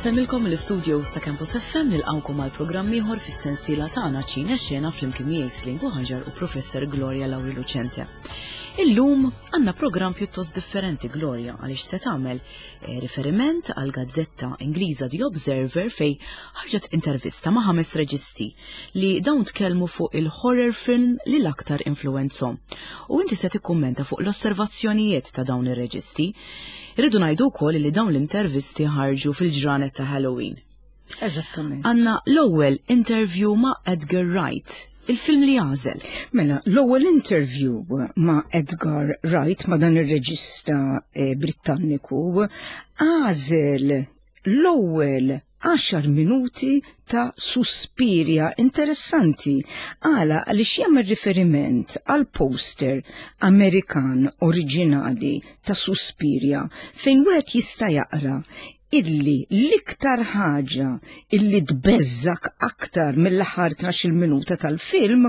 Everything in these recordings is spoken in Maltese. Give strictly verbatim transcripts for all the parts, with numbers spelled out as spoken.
Insellmilkom mill-istudio ta' Campus F M, nilqgħukom għal programm ieħor fis-sensiela tagħna Ċine Xena flimkien miegħi Slingu Ħaġar u Professor Gloria Lauri Lucente. Illum għandna programm pjuttost differenti, Gloria, għaliex se tagħmel eh, riferiment għal gazzetta Ingliża The Observer fej ħarġet intervista ma' ħames reġisti li dawn tkellmu fuq il-horror film li l-aktar influwenzahom. U inti se tikkummenta fuq l-osservazzjonijiet ta' dawn ir-reġisti. Irridu ngħidu wkoll li dawn l-intervisti ħarġu fil-ġranet ta' Halloween. Eżattament. Għandna l-ewwel interview ma' Edgar Wright, il-film li għażel. Mela, l-ewwel interview ma' Edgar Wright, ma' dan ir-reġista eh, Britanniku, għażel l-ewwel għaxar minuti ta' Suspiria. Interessanti. Għala? Għaliex jagħmel riferiment għal poster Amerikan oriġinali ta' Suspiria fejn wieħed jista' jaqra illi l-iktar ħaġa illi tbeżżak aktar mill-aħħar tnax-il minuta tal-film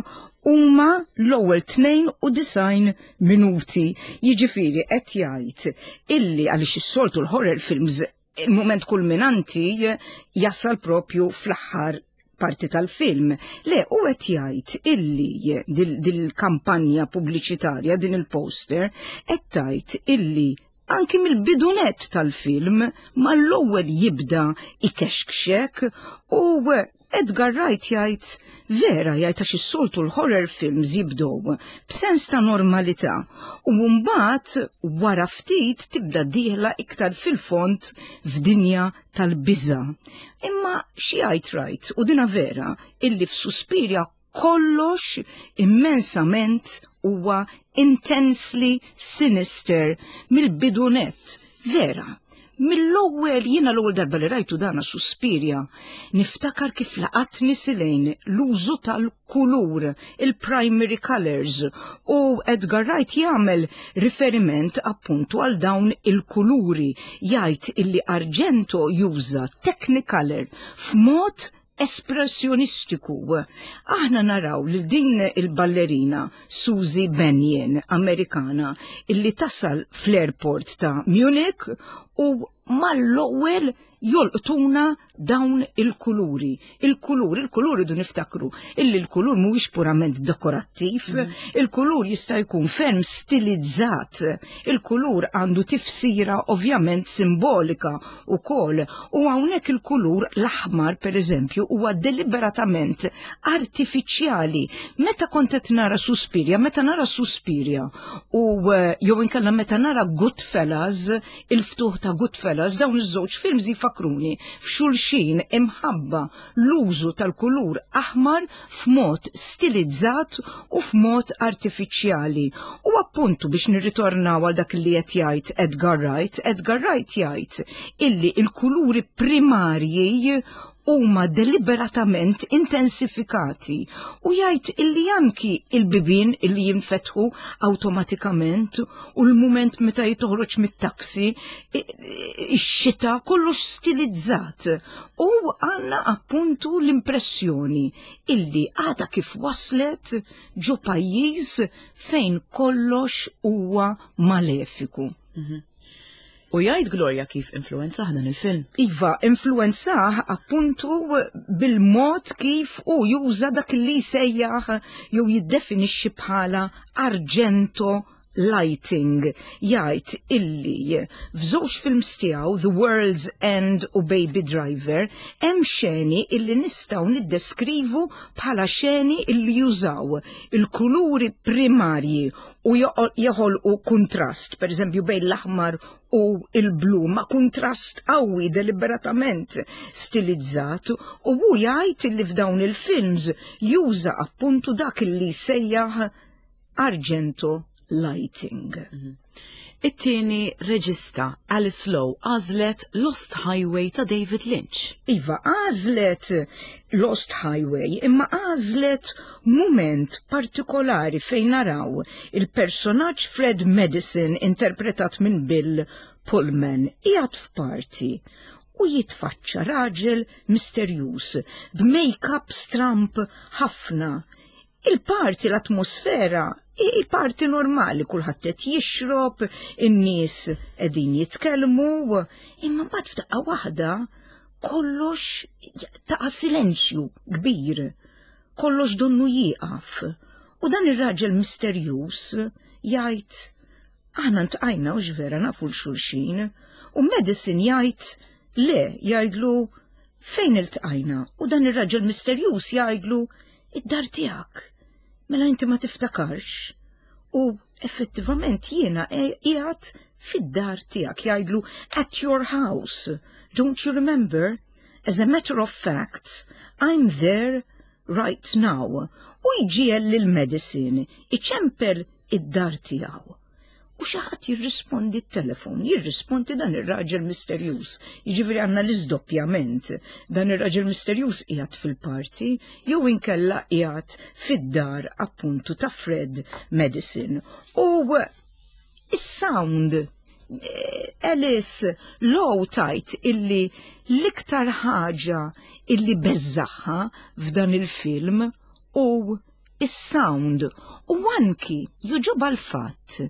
huma l-ewwel tnejn u disgħin minuti. Jiġifieri qed jgħid illi għaliex is-soltu l-horror films il-moment kulminanti jasal propju fl-aħħar parti tal-film. Le, u qed jgħid illi dil-kampanja pubbliċitarja, din il-poster, qed tgħid illi anki mill-bidu nett tal-film mal-ewwel jibda ikexkxek. U Edgar Wright jgħid vera, jgħid għax is-soltu l-horror films jibdew b'sens ta' normalità u mbagħad wara ftit tibda dieħla iktar fil-fond f'dinja tal-biża. Imma xi jgħid Wright, u dina vera, illi f'Suspiria kollox immensament huwa intensely sinister mill-bidu nett. Vera, mill-ewwel, jiena l-ewwel darba li rajtu dana Suspiria, niftakar kif laqatni silejn l-użu tal-kulur, il-primary colors, u Edgar Wright jagħmel riferiment appuntu għal dawn il-kuluri, jgħid illi Argento juża Technicolor f'mod espressjonistiku. Aħna naraw li din il-ballerina Susie Bannion, Amerikana, illi tasal fl-airport ta' Munich u mal-ewwel jolqtuna dawn il-kuluri. Il-kulur, il-kulur idu niftakru illi l-kulur mhuwiex purament dekorattiv, mm. il-kulur jista' jkun ferm stilizzat, il-kulur għandu tifsira ovvjament simbolika ukoll, u hawnhekk il-kulur l-aħmar, per eżempju, huwa deliberatament artifiċjali. Meta kont qed nara Suspiria, meta nara Suspiria u eh, jew inkella meta nara Goodfellas, il-ftuħ ta' Goodfellas, dawn iż-żewġ films jifakruni f'xulxin imħabba l-użu tal-kulur aħmar f'mod stilizzat u f'mod artifiċjali. U appuntu biex nirritornaw għal dak li qed jgħid Edgar Wright, Edgar Wright jgħid illi il-kuluri primarji huma deliberatament intensifikati u jgħid illi anki il-bibin illi jinfetħu awtomatikament u l-moment meta jitoħroġ mit-taksi, ix-xita, kollox stilizzat. U għandna appuntu l-impressjoni illi għada kif waslet ġo pajjiż fejn kollox huwa malefiku. Mm -hmm. U jgħid, Gloria, kif influenzah dan il-film? Iva, influenzah appuntu bil-mod kif u juża dak li sejjaħ jew jiddefinixxi bħala Argento lighting. Jgħid illi f'żewġ films tiegħu, The World's End u Baby Driver, hemm xeni illi nistgħu niddeskrivu bħala xeni illi jużaw il-kuluri primarji u joħolqu kontrast, per eżempju bejn l-aħmar u il-blu, ma kontrast qawwi deliberatament stilizzat, u hu jgħid illi f'dawn il-films juża appuntu dak illi sejjaħ Argento lighting. Mm -hmm. It-tieni reġista, Alice Lowe, għażlet Lost Highway ta' David Lynch. Iva, għażlet Lost Highway, imma għażlet moment partikolari fejn naraw il-personaġġ Fred Madison, interpretat minn Bill Pullman, qiegħed f'party u jitfaċċa raġel misterjuż b'make-up stramp ħafna. Il-party, l-atmosfera i party normali, kulħadd qed jixrob, in-nies qegħdin jitkellmu, imma mbagħad f'daqqa waħda Kollox ta' silenzju kbir, kollox donnu jieqaf. U dan ir-raġel misterjuż jgħid, "Aħna ltqajna u vera nafu 'l xulxin." U Madison jgħid, "Le," jgħidlu, "fejn iltqajna?" U dan ir-raġel misterjuż jgħidlu, "Id-dar tiegħek. Mela inti ma tiftakarx?" U effettivament jiena qiegħed fid-dar tiegħek, jgħidlu, "At your house. Don't you remember? As a matter of fact, I'm there right now." U jġiegħel lil Madison iċempel id-dar tiegħu. U xi ħadd jirrispondi t-telefon, jirrispondi dan ir-raġel misterjuż. Jiġifieri għandna l-iżdoppjament. Dan ir-raġel misterjuż qiegħed fil-party jew inkella qiegħed fid-dar appuntu ta' Fred Madison. U is-sound, Alice Lowe tgħid illi l-iktar ħaġa illi beżżagħha f'dan il-film u is-sound, u anki jogħġobha l-fatt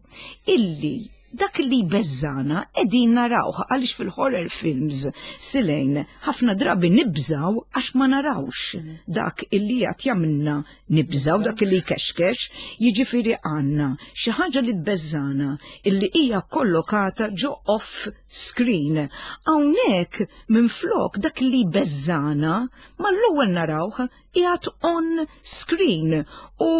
illi dak li beżżagħna qegħdin narawh, għaliex fil-horror films, Silejn, ħafna drabi nibżaw għax ma narawx dak illi qed jagħmilna nibżaw, dak illi jkexkex. Jiġifieri għandna xi ħaġa li tbeżżagħna illi hija kollokata ġo off screen. Hawnhekk minflok dak li beżżagħna mal-ewwel narawh qiegħed on screen u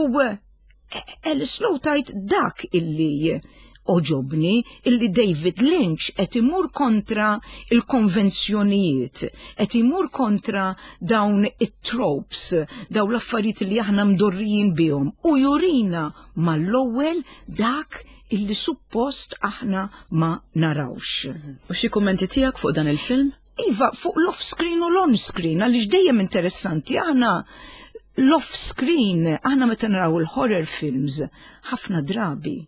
Alice Lowe tgħid, "Dak illi għoġobni, illi David Lynch qed imur kontra il-konvenzjonijiet, qed imur kontra dawn it-tropes, dawn l-affarijiet li aħna mdorrijin bihom u jurina mal-ewwel dak illi suppost aħna ma narawx." U xi kummenti tiegħek fuq dan il-film? Iva, fuq l-off-screen u l-on-screen, għaliex dejjem interessanti, aħna l-off-screen, aħna meta naraw il-horror films, ħafna drabi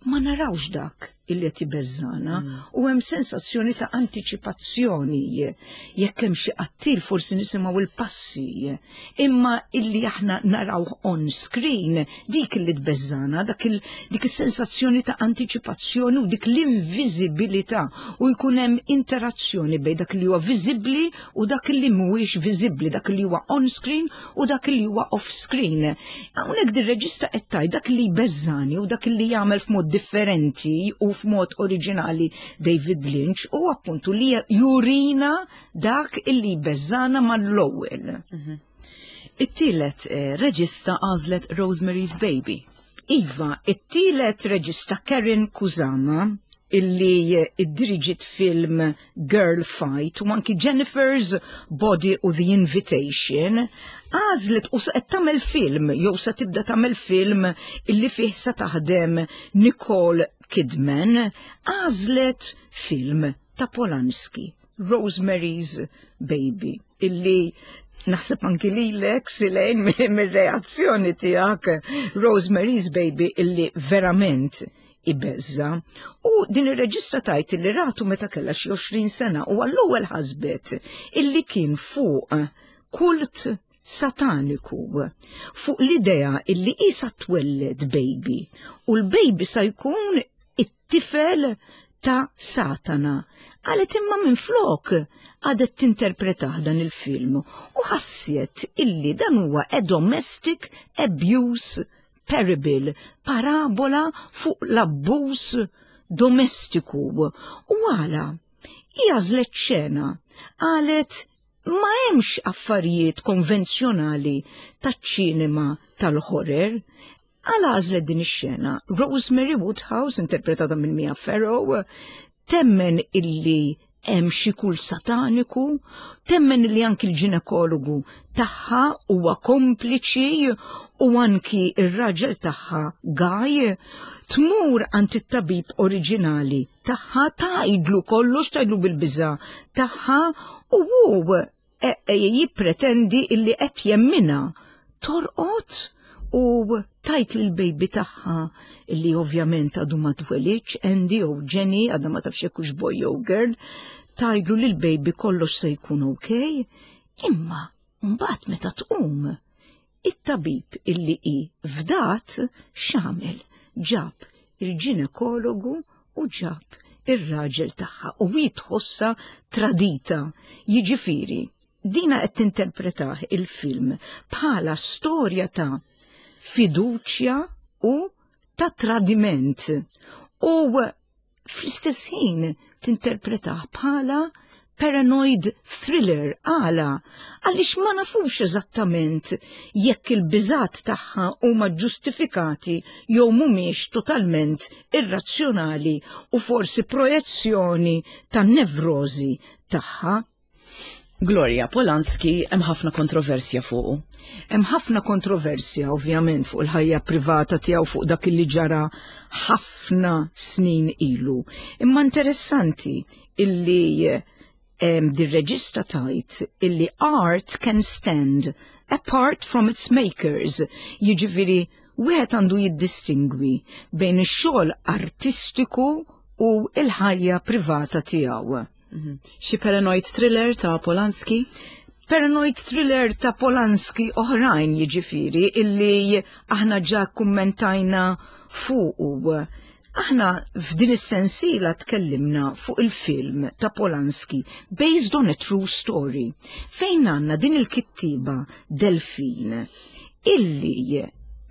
ma narawx dak illi qed ibeżżagħna mm. u hemm sensazzjoni ta' antiċipazzjoni. Jekk hemm xi qattil forsi nisimgħu il-passi, imma illi aħna naraw on screen, dik illi tbeżżagħna, dak il, dik is-sensazzjoni ta' antiċipazzjoni u dik l-inviżibilità, u jkun hemm interazzjoni bejn dak li huwa viżibbli u dak li mhuwiex viżibbli, dak li huwa on screen u dak li huwa off screen. Hawnhekk dir-reġista qed tgħid dak li jbeżżani u dak li jagħmel f'mod differenti u f'mod oriġinali David Lynch u appuntu li jurina dak illi beżżagħna mal-ewwel. Mhm. It-tielet eh, reġista għażlet Rosemary's Baby. Iva, it-tielet reġista Karyn Kusama, illi iddiriġiet film Girl Fight u anki Jennifer's Body u The Invitation, għażlet u qed tagħmel film jew se tibda tagħmel film illi fih se taħdem Nicole Kidman, għażlet film ta' Polanski, Rosemary's Baby, illi naħseb anki lilek, Silejn, mir-reazzjoni tiegħek, Rosemary's Baby illi verament ibeżża'. U din ir-reġista tgħid illi ratu meta kellha xi għoxrin sena u għall-ewwel ħasbet illi kien fuq kult sataniku, fuq l-idea illi isa twelled baby u l-baby sa jkun it-tifel ta' Satana. Qalet imma minn flok għadet tinterpretah dan il-film u ħassiet illi dan huwa a domestic abuse parable, parabola fuq l-abbuż domestiku. U għala, għażlet xena, qalet ma hemmx affarijiet konvenzjonali taċ-ċinema tal-horror. Għala għażlet din ix-xena? Rosemary Woodhouse, interpretata minn Mia Farrow, temmen illi hemm xi kult sataniku, temmen li anki l-ġinekologu tagħha huwa kompliċi u anki ir-raġel tagħha Guy. Tmur għand it-tabib oriġinali tagħha, tgħidlu kollox, tgħidlu bil-biża tagħha u hu e, e, jippretendi illi qed jemminha. Torqod u tgħid lil baby tagħha, illi ovvjament għadu ma twelidx, Andy u Jenny, għadha ma tafx hux boy jew girl, tgħidlu lil baby kollox se jkun ok, imma mbagħad meta tqum, it-tabib illi hi fdat x'għamel? Ġab il-ġinekologu u ġab ir-raġel tagħha u hi tħossha tradita. Jiġifieri, dina qed tinterpretah il-film bħala storja ta' fiduċja u ta' tradiment. U fl-istess ħin tinterpretah bħala paranoid thriller. Għala, għaliex ma nafux eżattament jekk il-biżat tagħha huma ġustifikati jew mhumiex totalment irrazzjonali u forsi projezzjoni tan-nevrożi tagħha. Gloria, Polanski hemm ħafna kontroversja fuqu. Hemm ħafna kontroversja ovvjament fuq il-ħajja privata tiegħu, fuq dak li ġara ħafna snin ilu. Imma interessanti illi dir-reġista tajt illi art can stand apart from its makers. Jiġifieri wieħed għandu jiddistingwi bejn ix-xogħol artistiku u l-ħajja privata tiegħu. Xi paranoid thriller ta' Polanski? Paranoid thriller ta' Polanski oħrajn, jiġifieri illi aħna ġa kummentajna fuqu. Aħna f'din is-sensiela tkellimna fuq il-film ta' Polanski Based on a True Story, fejn għandna din il-kittiba Delphine illi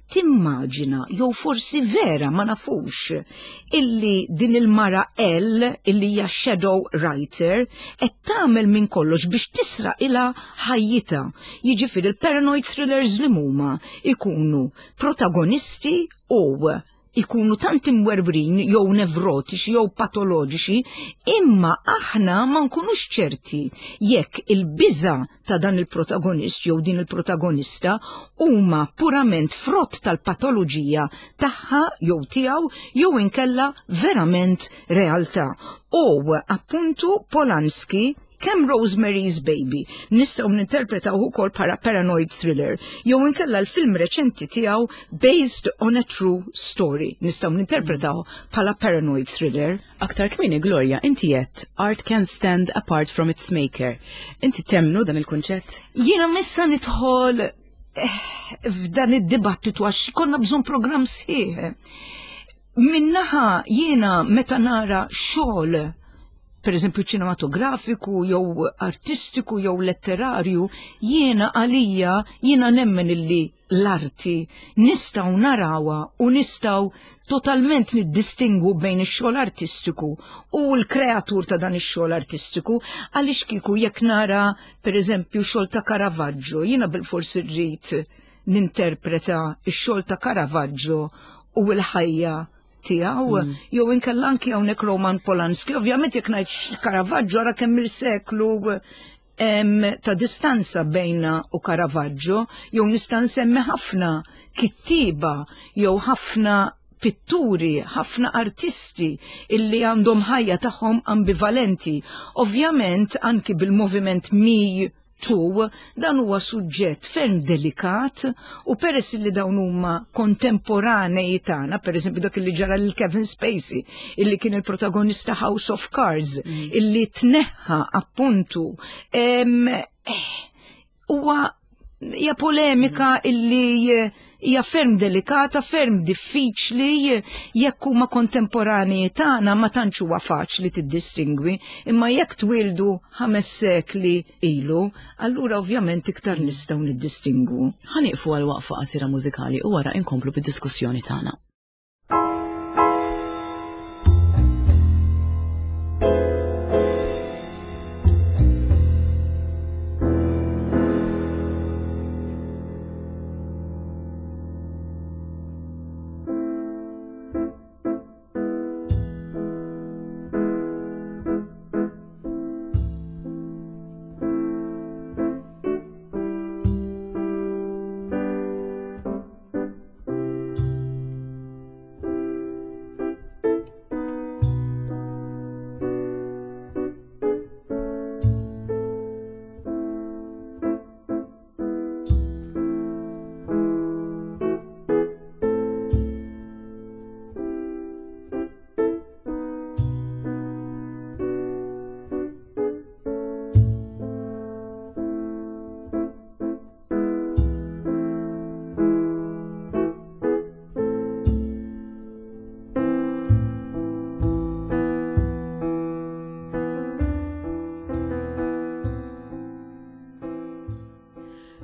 timmaġina, jew forsi vera ma nafux, illi din il-mara L, illi hija shadow writer, qed tagħmel minn kollox biex tisraq ilha ħajjitha. Jiġifieri il-paranoid thrillers li huma ikunu protagonisti u ikunu tant imwerwrin jew nevrotiċi jew patoloġiċi, imma aħna ma nkunux ċerti jekk il-biża ta' dan il-protagonist jew din il-protagonista huma purament frott tal-patoloġija tagħha jew tiegħu jew inkella verament realtà. U appuntu Polanski, kemm Rosemary's Baby nistgħu ninterpretaw ukoll bħala paranoid thriller, jew inkella l-film reċenti tiegħu Based on a True Story nistgħu ninterpretaw bħala paranoid thriller. Aktar kmieni, Gloria, inti għedt art can stand apart from its maker. Inti temmnu dan il-kunċett? Jiena missa nidħol eh, f'dan id-dibattitu għax konna bżonn programm sħiħ. Minn naħa jiena meta nara xogħol, per eżempju ċinematografiku, jew artistiku, jew letterarju, jiena għalija jiena nemmen illi l-arti nistgħu narawha u nistgħu totalment niddistingwu bejn ix-xogħol artistiku u l-kreatur ta' dan ix-xogħol artistiku, għaliex kieku jekk nara per eżempju xogħol ta' Caravaggio, jiena bil-forsi rrid ninterpreta x-xogħol ta' Caravaggio u l-ħajja tiegħu, mm. jew inkella anki hawnhekk Roman Polanski. Ovvjament jekk ngħid Caravaggio, ara kemm il-seklu ta' distanza bejna u Caravaggio, jew nista' nsemmi ħafna kittiba jew ħafna pitturi, ħafna artisti illi għandhom ħajja tagħhom ambivalenti. Ovvjament anki bil-moviment Me Too, dan huwa suġġett ferm delikat u peress li dawn huma kontemporanei tagħna, pereżempju dak li ġara lil Kevin Spacey, illi kien il-protagonista House of Cards, mm. illi tneħħa appuntu, huwa hija polemika mm. illi hija ferm delikata, ferm diffiċli, jekk huma kontemporanei tagħna ma tantx huwa faċli tiddistingwi, imma jekk twildu ħames sekli ilu, allura ovvjament iktar nistgħu niddistingwu. Ħa nieqfu għal waqfa qasira mużikali u wara inkomplu bid-diskussjoni tagħna.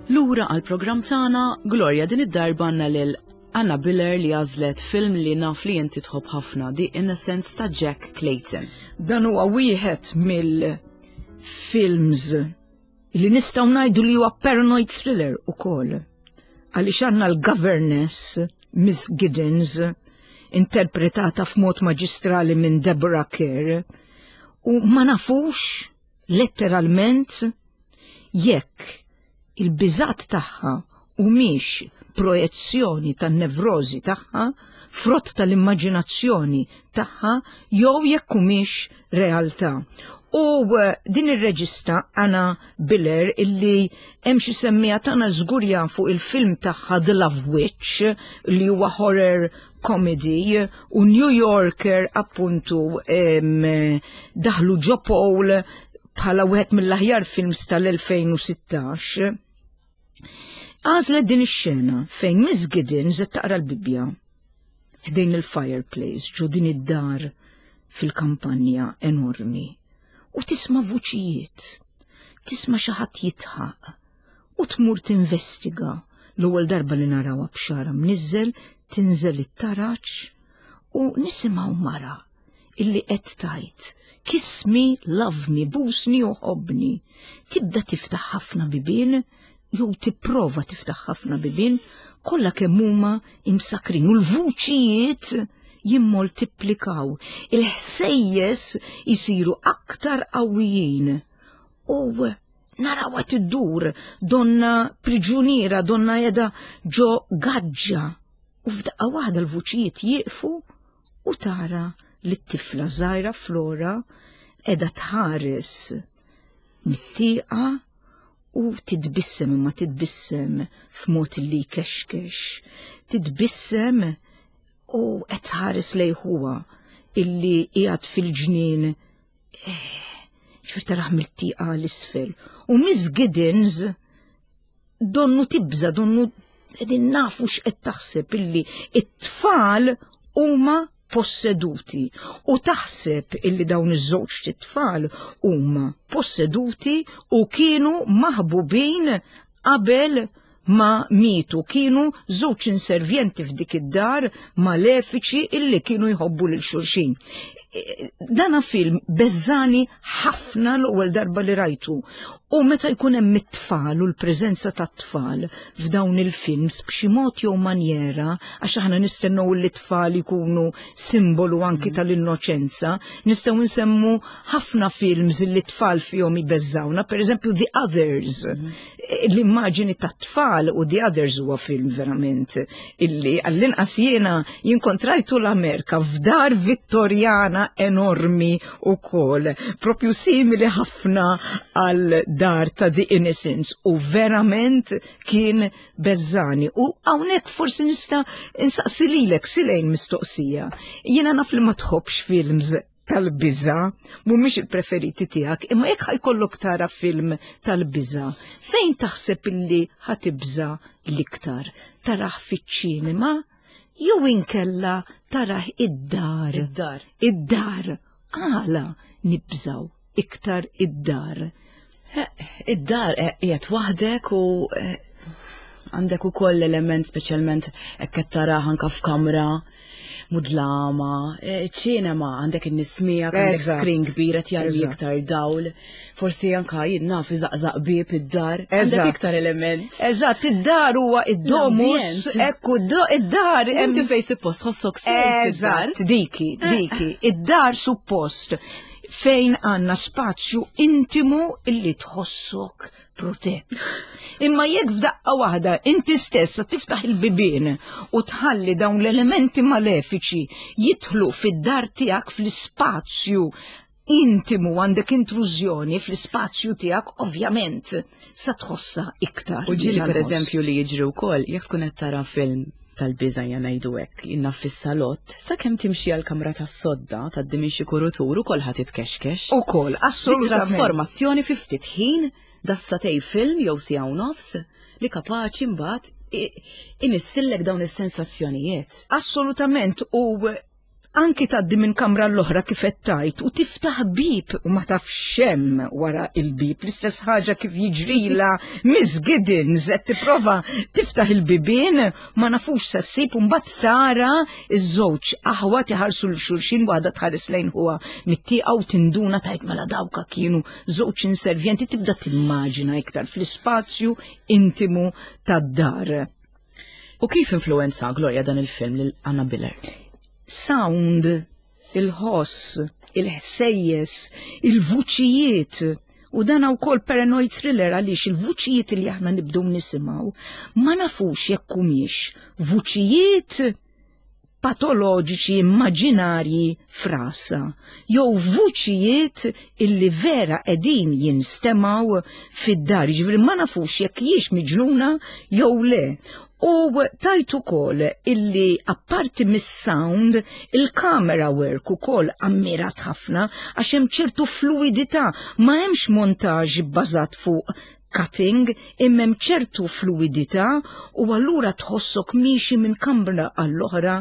Lura għal programm tagħna, Gloria, din id-darba għandna lil Anna Biller li għażlet film li naf li inti tħobb ħafna, The Innocents ta' Jack Clayton. Dan huwa wieħed mill-films li nistgħu ngħidu li huwa paranoid thriller ukoll. Għaliex għandna l-governess Miss Giddens, interpretata f'mod maġistrali minn Deborah Kerr, u ma nafux letteralment jekk il-biżat tagħha humiex projezzjoni tan-nevrożi tagħha, frott tal-immaġinazzjoni tagħha, jew jekk humiex realtà. U eh, din ir-reġista Anna Biller, illi hemm xi semmija tagħna żgur fuq il-film tagħha The Love Witch, li huwa horror comedy, u New Yorker appuntu em, daħlu ġo poll bħala wieħed mill-aħjar films tal-elfejn u sittax. Għażlet din ix-xena fejn Miss Giddens qed taqra l-Bibbja ħdejn il-fireplace ġo din id-dar fil-kampanja enormi u tisma' vuċijiet, tisma' xi ħadd jidħaq u tmur tinvestiga. L-ewwel darba li narawha b'xagħarha mniżżel tinżel it-taraġ u nisimgħu mara illi qed tgħid, "Kiss me, love me, busni u ħobni." Tibda tiftaħ ħafna bibien, jew tipprova tiftaħ ħafna bibien, kollha kemm huma imsakrin u l-vuċijiet jimmoltiplikaw, il-ħsejjes jisiru aktar qawwijin. U narawha tiddur, donna priġuniera, donna qiegħda ġo gaġġa. U f'daqqa waħda l-vuċijiet jieqfu u tara li t-tifla żgħira Flora qiegħda tħares mit-tieqa u titbissem, imma titbissem f'mod li jkexkex. Titbissem u qed tħares lejn ħuha illi qiegħed fil-ġnien, ġifieri tarah mit-tieqa l-isfel. U Miss Giddens donnu tibża, donnu qegħdin nafu x'qed taħseb, illi it-tfal huma posseduti, u taħseb illi dawn iż-żewġ tfal huma posseduti u kienu maħbubin qabel ma mietu, kienu żewġ inservjenti f'dik id-dar malefiċi illi kienu jħobbu lil xulxin. Dana film beżżagħni ħafna l-ewwel darba li rajtu. U meta jkun hemm it-tfal u l-preżenza tat-tfal f'dawn il-films b'xi mod jew manjera, għax aħna nistennew li t-tfal ikunu simbolu anki tal-innoċenza, nistgħu nsemmu ħafna films li t-tfal fihom jbeżżawna, per eżempju The Others. L-immaġini tat-tfal u The Others huwa film verament illi għall-inqas jiena jinkontrajtu l-Amerika f'dar Vittorjana enormi u kol, propju simili ħafna għal dar ta' The Innocents, u verament kien beżżagħni. U hawnhekk forsi nista' insaqsi lilek, Silejn, mistoqsija. Jiena naf li ma tħobbx films tal-biża, mhumiex il-preferiti tiegħek, imma jekk ħa jkollok tara film tal-biża, fejn taħseb illi ħa tibża l-iktar? Tarah fiċ-ċinema jew inkella tarah id-dar? Id-dar. Id-dar. Għala nibżaw iktar id-dar? Id-dar eh, qiegħed waħdek u eh, għandek ukoll element, speċjalment hekk qed tarah anka f'kamra mudlama, eh, ċinema għandek in-nies miegħek, għandek Eżatt. screen kbir qed jarmi Eżatt. iktar dawl, forsi anka jien naf iżaqżaq bieb id-dar, għandek Eżatt. iktar element. Eżatt, id-dar huwa id-domus, L-ambjent. ekku id-dar. Inti fej suppost tħossok safe id-dar. Eżatt, diki, diki. Id-dar suppost fejn għandna spazju intimu illi tħossok protett. Imma jekk f'daqqa waħda inti stessa tiftaħ il-bibien u tħalli dawn l-elementi malefiċi jidħlu fid-dar tiegħek, fl-ispazju intimu, għandek intrużjoni fl-ispazju tiegħek, ovvjament sa tħossa iktar. U ġieli, per dal-ħoss. eżempju, li jiġri wkoll, jekk tkun qed tara film tal-biża', ja ngħidu hekk, inna fis-salott, sakemm timxi għal kamra tas-sodda, tgħaddi minn xi kurutur, ukoll ħa titkexkex. Ukoll, Dik assolutament. trasformazzjoni fi ftit ħin, das-sagħtejn film jew siegħa u nofs li kapaċi mbagħad i- inissillek dawn is-sensazzjonijiet. Assolutament, u Anki tgħaddi minn kamra l-oħra, kif qed tgħid, u tiftaħ bib u ma tafx x'hemm wara il-bib. L-istess ħaġa kif jiġrila Miss Giddens, qed tipprova tiftaħ il-bibien, ma nafux sa ssib, u mbagħad tara iż-żewġ aħwa iħarsu lil xulxin, waħda tħares lejn ħuha mit-tieqa u tinduna, tgħid, "Mela dawka kienu żewġ inservjenti." Tibda timmaġina iktar fl-ispazju intimu tad-dar. U kif influenza, Gloria, dan il-film lil Anna Biller? Sound, il-ħoss, il-ħsejjes, il-vuċijiet. U dan ukoll paranoid thriller, għaliex il-vuċijiet li aħna nibdew nisimgħu ma nafux jekk humiex vuċijiet patoloġiċi immaġinarji f'rasha, jew vuċijiet illi vera qegħdin jinstemgħu fid-dar, ġifieri ma nafux jekk hijiex miġnuna jew le. U tajt ukoll illi apparti mis-sound, il-camera work ukoll ammirat ħafna, għax hemm ċertu fluidità, ma hemmx montaġ bbażat fuq cutting, imma hemm ċertu fluidità u allura tħossok miexi minn kamra għall-oħra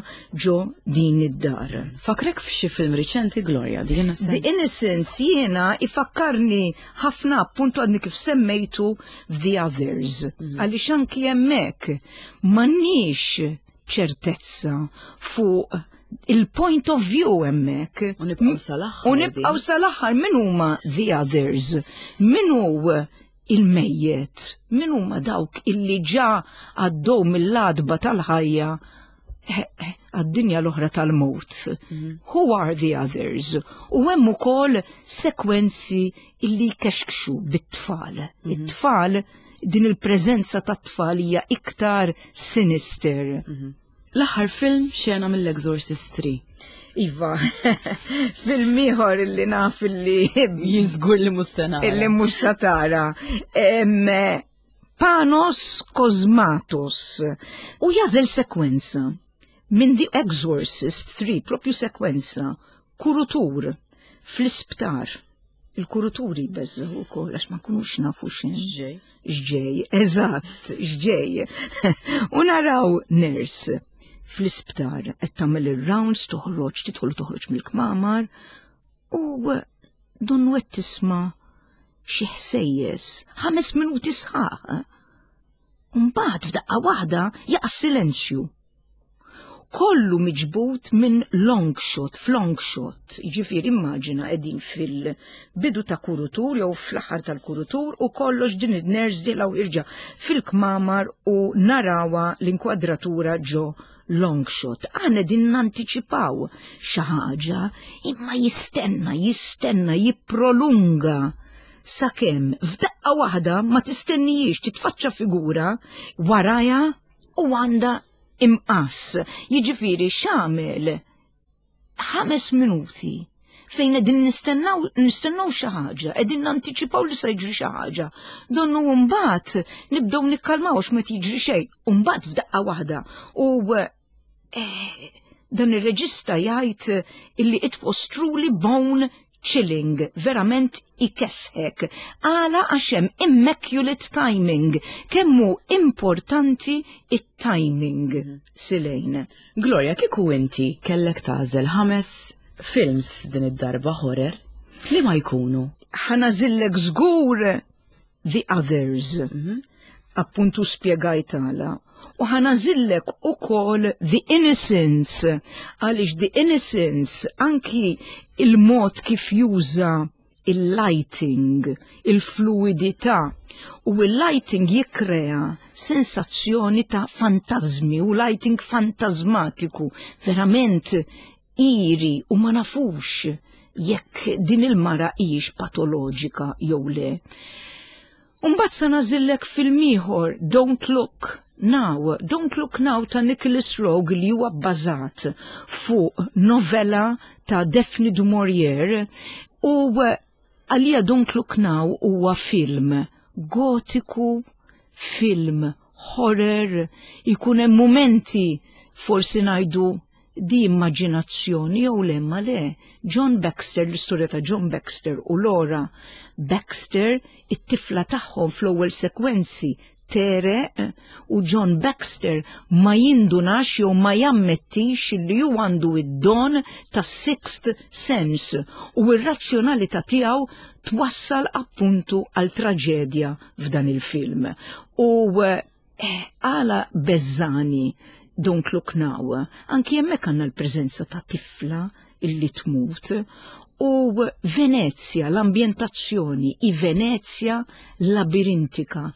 ġo din id-dar. Fakkrek f'xi film riċenti, Gloria, The Innocence? The Innocence jiena ifakkarni ħafna, appuntu għadni kif semmejtu, The Others. Għaliex anki hemmhekk m'għandniex ċertezza fuq il-point of view hemmhekk. U nibqgħu sal-aħħar. U nibqgħu sal-aħħar, min huma the others? Min hu il-mejjet? Min huma dawk illi ġa għaddew mill-għatba tal-ħajja eh, eh, għad-dinja l-oħra tal-mot? Who are the others? U hemm ukoll sekwenzi illi jkexkxu bit-tfal. It-tfal, din il-preżenza tat-tfal hija iktar sinister. L-aħħar film, xena mill-Exorcist tlieta. Iva, film ieħor illi naf illi Jien żgur li mhux se nara. Illi mhux sa tara. Em, Panos Cosmatos u jagħżel sekwenza minn The Exorcist tlieta, propju sekwenza, kurutur fl-isptar. Il-kuruturi jbeżżgħu ukoll għax ma nkunux nafu x'in. X'ġej. X'ġej, eżatt, x'ġej. U naraw nurse fl-isptar qed tagħmel ir-rounds, toħroġ, tidħol u toħroġ mill-kmamar u donnu qed tisma' xi ħsejjes ħames minuti sħaħ. Mbagħad f'daqqa waħda jaqa' silenzju. Kollu miġbut minn long shot, f'long shot. Ġifieri immaġina qegħdin fil-bidu ta' kurutur jew fl-aħħar tal-kurutur u kollox din id-nurse dieħla u ħierġa fil-kmamar u narawha l-inkwadratura ġo long shot. Aħna din nantiċipaw xi ħaġa, imma jistenna, jistenna, jipprolunga sakemm f'daqqa waħda ma tistennijiex titfaċċa figura waraja u għandha imqass. Jiġifieri x'għamel, ħames minuti fejn qegħdin nistennaw nistennaw xi ħaġa, qegħdin nantiċipaw li se jiġri xi ħaġa. Donnu mbagħad nibdew nikkalmaw għax ma tiġri xejn, u mbagħad f'daqqa waħda. U eh, dan ir-reġista jgħid illi it was truly bone chilling, verament ikesħek. Għala? Għax hemm immaculate timing, kemm hu importanti it-timing, Silejn. Gloria, kieku inti kellek tagħżel ħames films din id-darba horror, li ma jkunu? Ħa nagħżillek żgur The Others. Appuntu spjegajt għala. U ħa nagħżillek ukoll The Innocence, għaliex The Innocence anki il-mod kif juża il-lighting, il-fluidità, u il-lighting jikrea sensazzjoni ta' fantazmi u lighting fantasmatiku, verament eerie, u ma nafux jekk din il-mara hijiex patoloġika jew le. Umbagħad sa nagħżillek film ieħor, Don't Look Now, Don't Look Now ta' Nicholas Roeg, li huwa bbażat fuq novella ta' Daphne du Maurier, u għalija Don't Look Now huwa film gotiku, film horror, ikun hemm momenti forsi ngħidu di immaġinazzjoni jew le, ma le. John Baxter, l-istorja ta' John Baxter u Laura Baxter, it-tifla tagħhom, fl-ewwel sekwenzi Tegħreq u John Baxter ma jindunax jew ma jammettix li hu għandu id-don ta' sixth sense u r-razzjonalità tiegħu twassal appuntu għal traġedja f'dan il-film. U eh, għala beżżagħni Don't Look Now, anki hemmhekk għandna l-preżenza ta' tifla illi tmut u Venezia, l-ambjentazzjoni, i Venezia labirintika,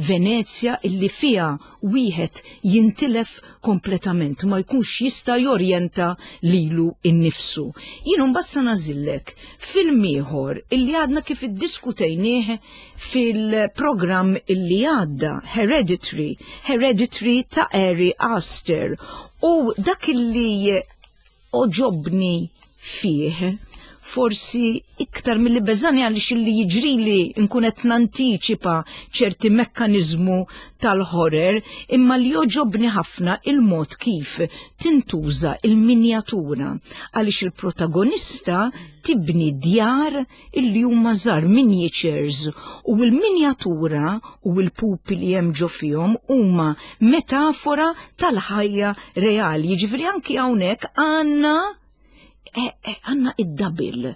Venezia illi fija wieħed jintilef kompletament, ma jkunx jista' jorjenta lilu innifsu. Jien mbagħad sa nagħżillek film ieħor illi għadna kif iddiskutejnieh fil-programm illi għadda, Hereditary, Hereditary ta' Ari Aster. U dak illi għoġobni fih, forsi iktar milli beżżagħni, għaliex illi jiġrili nkun qed nantiċipa ċerti mekkaniżmu tal-horror, imma li jogħġobni ħafna il-mod kif tintuża il-minjatura, għaliex il-protagonista tibni djar illi huma żgħar, miniatures, u l-minjatura u l-pupi li hemm ġo fihom huma metafora tal-ħajja reali. Jiġifieri anki hawnhekk għandna eh, eh, għandna id-double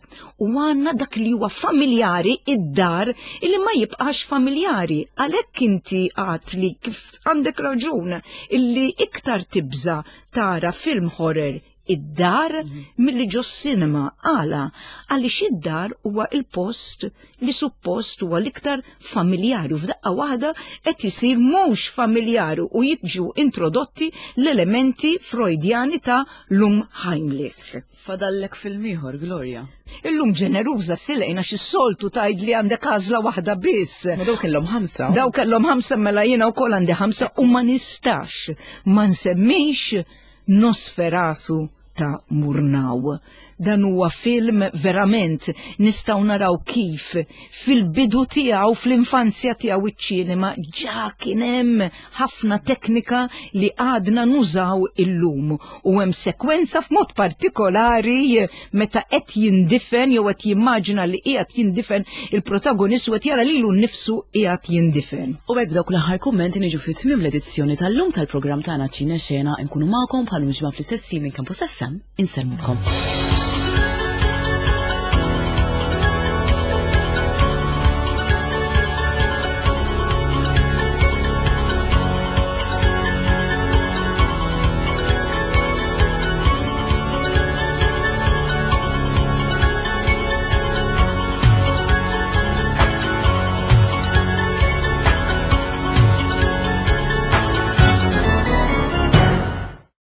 u għandna dak li huwa familjari, id-dar illi ma jibqax familjari. Għalhekk inti għat li kif għandek raġun illi iktar tibża tara film horror id-dar milli ġo cinema. Għala? Għaliex id-dar huwa il-post li suppost huwa l-iktar familjari u f'daqqa waħda qed isir mhux familjari u jiġu introdotti l-elementi freudjani ta' l-Unheimlich. Fadallek film ieħor, Gloria. Illum ġeneruża silejna, x-soltu tgħid li għandek għażla waħda biss. Ma daw kellhom ħamsa. Daw kellhom ħamsa, mela jiena wkoll għandi ħamsa u ma nistax ma nsemmix Nosferatu ta' Murnau. Dan huwa film verament nistgħu naraw kif fil-bidu tiegħu, fl-infanzja tiegħu, iċ-ċinema ġa kien hemm ħafna teknika li għadna nużaw illum. U hemm sekwenza f'mod partikolari meta qed jindifen jew qed jimmaġina li qiegħed jindifen il-protagonist u qed jara lilu nnifsu qiegħed jindifen. U hekk dawk l-aħħar kummenti niġu fi tmiem l-edizzjoni tal-lum tal-programm tagħna Ċine Xena. Nkunu magħkom bħal ġimgħa fl-istess minn Campus F M. Insellmulkom.